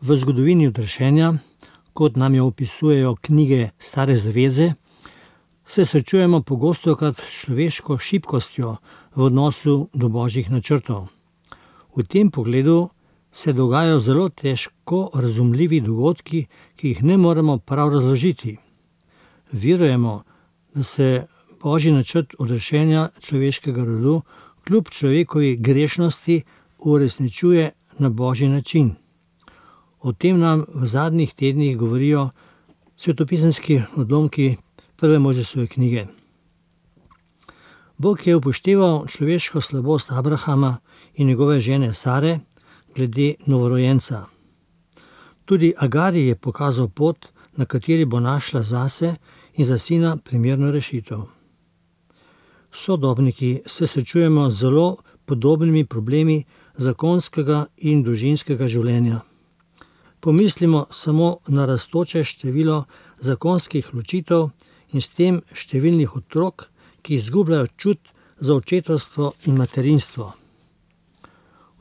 V zgodovini odrešenja, kot nam jo opisujejo knjige Stare zaveze, se srečujemo pogostokrat s človeško šibkostjo v odnosu do božjih načrtov. V tem pogledu se dogajajo zelo težko razumljivi dogodki, ki jih ne moremo prav razložiti. Verujemo, da se božji načrt odrešenja človeškega rodu kljub človekovi grešnosti uresničuje na božji način. O tem nam v zadnjih tednih govorijo svetopisemski odlomki prve Mojzesove knjige. Bog je upošteval človeško slabost Abrahama in njegove žene Sare glede novorojenca. Tudi Agari je pokazal pot, na kateri bo našla zase in za sina primerno rešitev. Sodobniki se srečujemo z zelo podobnimi problemi zakonskega in družinskega življenja. Pomislimo samo na rastoče število zakonskih ločitev in s tem številnih otrok, ki izgubljajo čut za očetovstvo in materinstvo.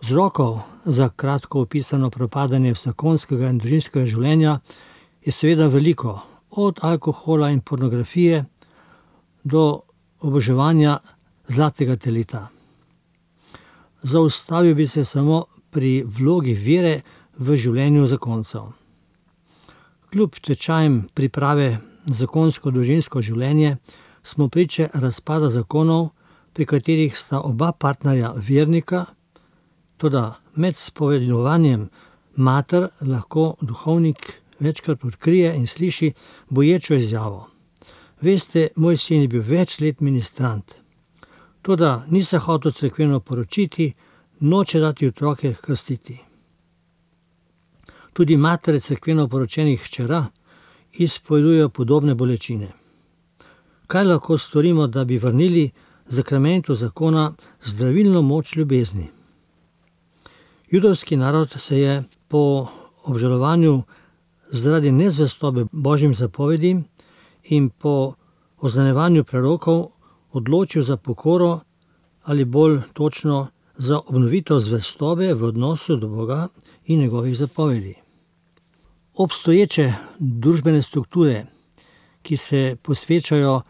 Vzrokov za kratko opisano propadanje zakonskega in družinskega življenja je seveda veliko, od alkohola in pornografije do oboževanja zlatega teleta. Zaustavil bi se samo pri vlogi vere v življenju zakoncev. Kljub tečajem priprave na zakonsko-družinsko življenje smo priče razpada zakonov, pri katerih sta oba partnerja vernika, toda med spovedovanjem mater lahko duhovnik večkrat odkrije in sliši boječo izjavo: "Veste, moj sin je bil več let ministrant, toda ni se hotel cerkveno poročiti, noče dati otroke krstiti." Tudi matere cerkveno poročenih hčera izpovedujejo podobne bolečine. Kaj lahko storimo, da bi vrnili zakramentu zakona zdravilno moč ljubezni? Judovski narod se je po obžalovanju zaradi nezvestobe božjim zapovedim in po oznanevanju prerokov odločil za pokoro ali bolj točno za obnovitev zvestobe v odnosu do Boga in njegovih zapovedi. Obstoječe družbene strukture, ki se posvečajo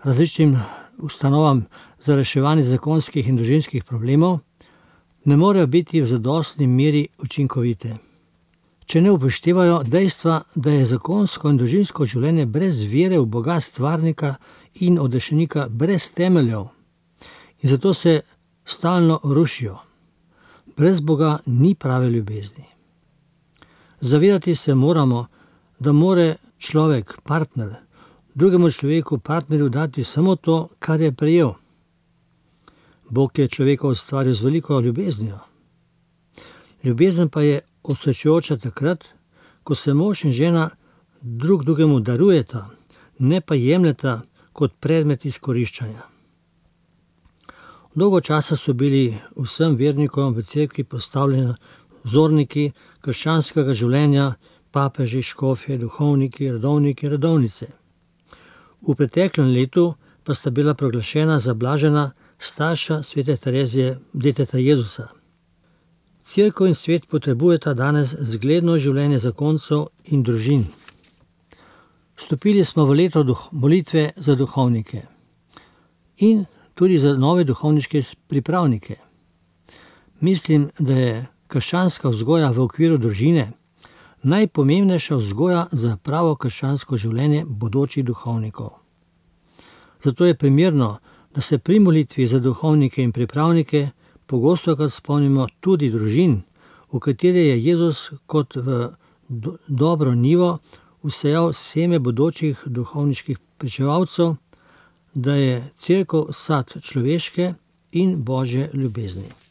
različnim ustanovam za reševanje zakonskih in družinskih problemov, ne morejo biti v zadostni meri učinkovite, če ne upoštevajo dejstva, da je zakonsko in družinsko življenje brez vere v Boga stvarnika in odrešenika brez temeljev in zato se stalno rušijo. Brez Boga ni prave ljubezni. Zavedati se moramo, da more človek, partner, drugemu človeku, partnerju dati samo to, kar je prejel. Bog je človeka ustvaril z veliko ljubeznijo. Ljubezen pa je osrečujoča takrat, ko se mož in žena drug drugemu darujeta, ne pa jemljeta kot predmet izkoriščanja. Dolgo časa so bili vsem vernikom v cerkvi postavljeni vzorniki krščanskega življenja, papeži, škofje, duhovniki, redovniki, redovnice. V preteklem letu pa sta bila proglašena za blažena starša svete Terezije, deteta Jezusa. Cerkev in svet potrebujeta danes zgledno življenje zakoncev in družin. Vstopili smo v leto molitve za duhovnike in tudi za nove duhovniške pripravnike. Mislim, da je krščanska vzgoja v okviru družine najpomembnejša vzgoja za pravo krščansko življenje bodočih duhovnikov. Zato je primerno, da se pri molitvi za duhovnike in pripravnike pogostokrat spomnimo tudi družin, v katere je Jezus kot v dobro njivo vsejal seme bodočih duhovniških pričevalcev, da je cerkev sad človeške in božje ljubezni.